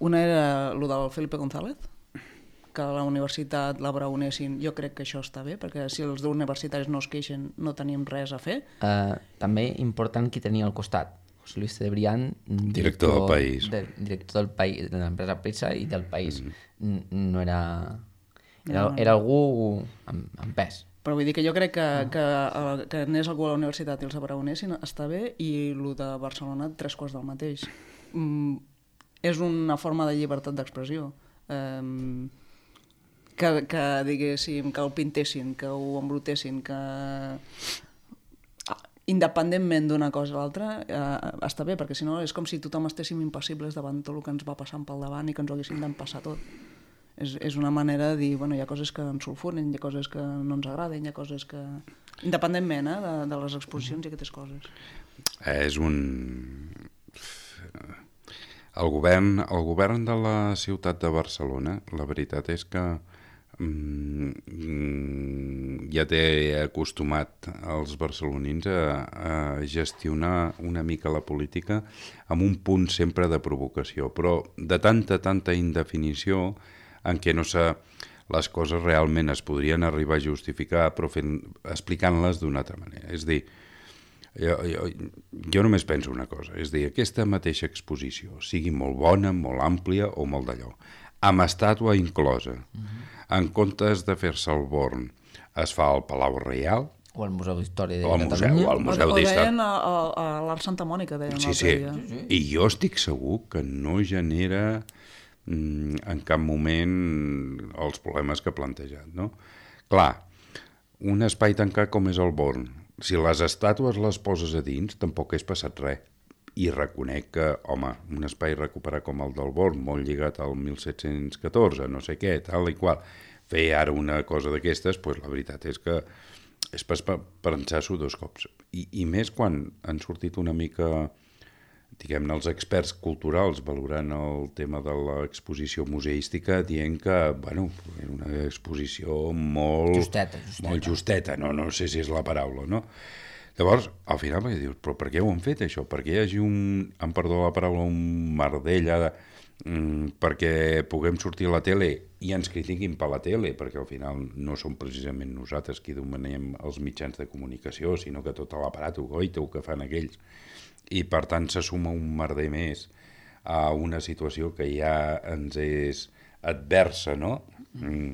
Una era el del Felipe González, que a la universitat la braonessin. Jo crec que això està bé, perquè si els universitaris no es queixen no tenim res a fer. Uh, també important qui tenia al costat. José Luis Cebrián, director, director del País. De, director del país, de l'empresa Prisa i del País. Mm. No era... Era, era algú amb, amb pes. Però vull dir que jo crec que, que, que anés algú a la universitat i els abraonessin està bé, i el de Barcelona tres quarts del mateix. Mm, és una forma de llibertat d'expressió. Um, que, que diguéssim, que el pintessin, que ho embrutessin, que independentment d'una cosa a l'altra eh, està bé, perquè si no és com si tothom estéssim impassibles davant tot el que ens va passant pel davant i que ens ho haguéssim d'empassar tot. És, és una manera de dir, bueno, hi ha coses que ens sulfuren, hi ha coses que no ens agraden, hi ha coses que... Independentment eh, de, de les exposicions i aquestes coses. És un... El govern, el govern de la ciutat de Barcelona, la veritat és que mm, ja té acostumat els barcelonins a, a gestionar una mica la política amb un punt sempre de provocació, però de tanta, tanta indefinició en què no sé, les coses realment es podrien arribar a justificar, però fent, explicant-les d'una altra manera. És dir, jo, jo, jo només penso una cosa, és dir, aquesta mateixa exposició, sigui molt bona, molt àmplia o molt d'allò, amb estàtua inclosa, uh-huh. en comptes de fer-se al Born, es fa al Palau Reial, o al Museu d'Història de o al museu, Catalunya. o al museu o d'Història. deien a, a, a l'Art Santa Mònica, deien sí, l'altre sí. dia. Sí, sí. I jo estic segur que no genera en cap moment els problemes que ha plantejat, no? Clar, un espai tancat com és el Born, si les estàtues les poses a dins, tampoc és passat res. I reconec que, home, un espai recuperat com el del Born, molt lligat al mil set-cents catorze, no sé què, tal i qual, fer ara una cosa d'aquestes, doncs la veritat és que és per pensar-s'ho dos cops. I, I més quan han sortit una mica... diguem-ne, els experts culturals valorant el tema de l'exposició museística dient que, bueno, era una exposició molt... Justeta, justeta. Molt justeta, no, no sé si és la paraula, no? Llavors, al final vaig dir, però per què ho han fet, això? Per què hi hagi un, em perdó la paraula, un merdell de, mm, perquè puguem sortir a la tele i ens critiquin per la tele, perquè al final no som precisament nosaltres qui domenem els mitjans de comunicació, sinó que tot l'aparat goito que fan aquells. I per tant se suma un merder més a una situació que ja ens és adversa, no? Mm,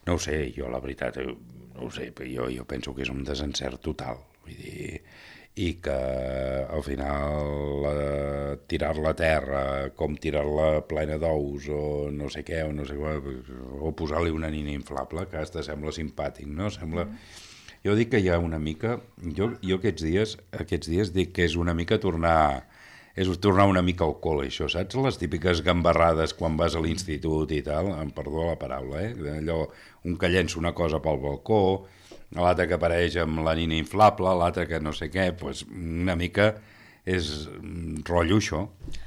no ho sé, jo la veritat, no ho sé, jo, jo penso que és un desencert total, vull dir, i que al final eh, tirar-la a terra, com tirar-la plena d'ous o no sé què, o no sé què, o posar-li una nina inflable, que hasta sembla simpàtic, no? Sembla... Jo dic que hi ha una mica... Jo, jo aquests dies aquests dies dic que és una mica tornar... És tornar una mica al col·le, això, saps? Les típiques gambarrades quan vas a l'institut i tal, em perdó la paraula, eh? Allò, un que llença una cosa pel balcó, l'altre que apareix amb la nina inflable, l'altre que no sé què, doncs una mica és rotllo això.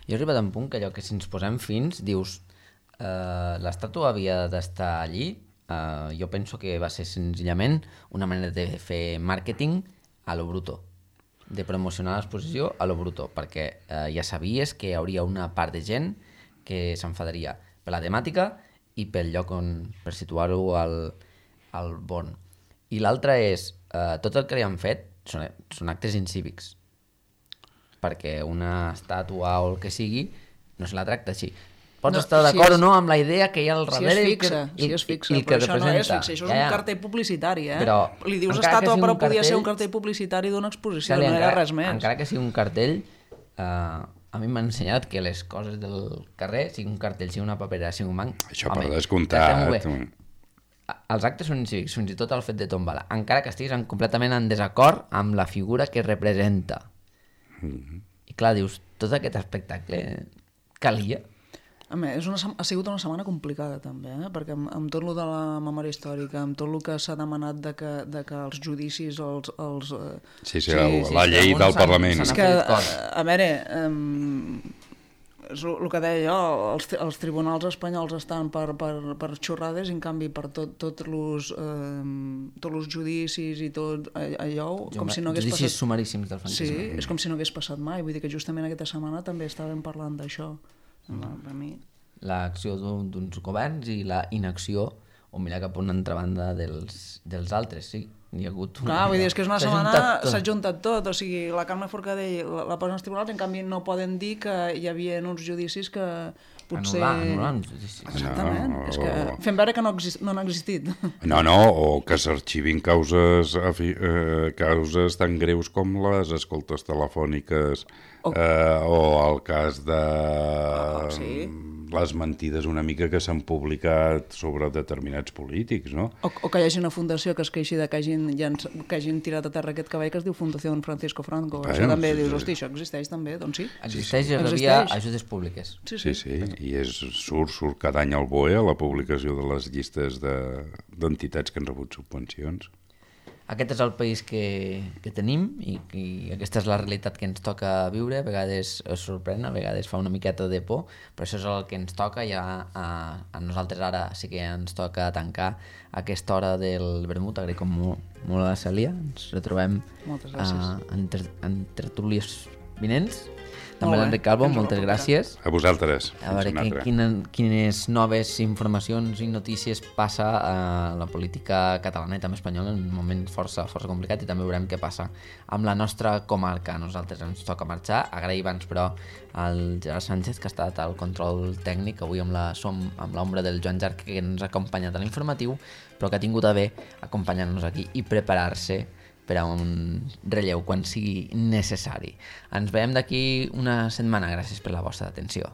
Jo he arribat a un punt que allò que si ens posem fins, dius, eh, l'estàtua havia d'estar allí. Uh, jo penso que va ser senzillament una manera de fer màrqueting a lo bruto, de promocionar l'exposició a lo bruto, perquè uh, ja sabies que hi hauria una part de gent que s'enfadaria per la temàtica i pel lloc on, per situar-ho al, al Born. I l'altre és, uh, tot el que li han fet són, són actes incívics, perquè una estàtua o el que sigui no se la tracta així. Pots no, estar d'acord si és... o no amb la idea que hi ha al darrere... Si es fixa, i, si es fixa, i, i però això no és fixa, això és ja, ja. un cartell publicitari, eh? Però, li dius estàtua, però podia cartell... ser un cartell publicitari d'una exposició, sí, no encara, era res més. Encara que sigui un cartell, eh, a mi m'ha ensenyat que les coses del carrer, sigui un cartell, sigui una paperera, sigui un banc... Això home, per descomptat... Els actes són incívics, fins i tot el fet de tombar-la, encara que estiguis en, completament en desacord amb la figura que representa. Mm-hmm. I clar, dius, tot aquest espectacle calia... A més, és una, ha sigut una setmana complicada també, eh? Perquè amb, amb tot el de la memòria històrica, amb tot el que s'ha demanat de que, de que els judicis, els... els sí, sí, el, sí, la sí, llei del Parlament. És que, a, a veure, um, és el, el que deia jo, els, els tribunals espanyols estan per, per, per xorrades, en canvi per tot, tot los, um, tots els judicis i tot allò, com si no hagués judicis passat... sumaríssims del franquisme. Sí, és com si no hagués passat mai, vull dir que justament aquesta setmana també estàvem parlant d'això. Per mi. L'acció d'uns governs i la inacció o mirar cap a una altra banda dels, dels altres, sí. Hi ha hagut una... Clar, vull dir, és que és una setmana s'ha juntat, juntat tot, o sigui, la Carme Forcadell la, la posen als tribunals, en canvi no poden dir que hi havia uns judicis que potser... Anul·lar, anul·lar uns judicis. Exactament, no, és que fem veure que no, exist, no han existit. No, no, o que s'arxivin causes, eh, causes tan greus com les escoltes telefòniques o, eh, o el cas de oh, sí. les mentides una mica que s'han publicat sobre determinats polítics, no? O, o que hi hagi una fundació que es queixi de que hagin, que hagin tirat a terra aquest cavall que es diu Fundació Francisco Franco. Bueno, això també sí, dius, hosti, això existeix també? Doncs sí. Existeix i rebia ajudes públiques. Sí, sí, sí, sí. I és, surt, surt cada any al B O E a la publicació de les llistes d'entitats de, que han rebut subvencions. Aquest és el país que, que tenim i, i aquesta és la realitat que ens toca viure. A vegades es sorprèn, a vegades fa una miqueta de por, però això és el que ens toca. Ja a, a nosaltres ara sí que ens toca tancar aquesta hora del vermut. Agraïm molt, molt a la Cèlia. Ens retrobem uh, en, ter, en tertúlies vinents. També l'Enric Calvo, moltes gràcies. A vosaltres. A veure que, quina, quines noves informacions i notícies passa a la política catalana i també espanyola en un moment força, força complicat, i també veurem què passa amb la nostra comarca. A nosaltres ens toca marxar. Agraïm abans, però, al Gerard Sánchez, que ha estat al control tècnic. Avui amb la, som amb l'ombra del Joan Jarc, que ens ha acompanyat a l'informatiu, però que ha tingut a bé acompanyar-nos aquí i preparar-se per a un relleu quan sigui necessari. Ens veiem d'aquí una setmana. Gràcies per la vostra atenció.